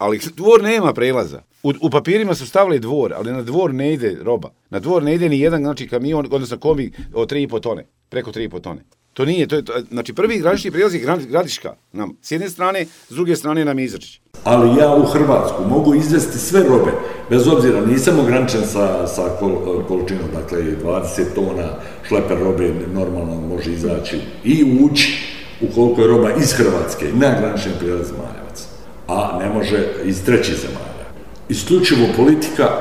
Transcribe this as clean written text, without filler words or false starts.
ali dvor nema prelaza. U papirima su stavili dvor, ali na dvor ne ide roba. Na dvor ne ide ni jedan, znači, kamion, odnosno kombi od 3,5 tone, preko 3,5 tone. To nije, znači prvi granični prijelaz je Gradiška nam s jedne strane, s druge strane nam je Izračić. Ali ja u Hrvatsku mogu izvesti sve robe, bez obzira, nisam ograničen sa količinom, dakle 20 tona šleper robe normalno može izaći i ući ukoliko je roba iz Hrvatske na granični prijelaz Zmajevac, a ne može iz trećih zemalja. Isključivo politika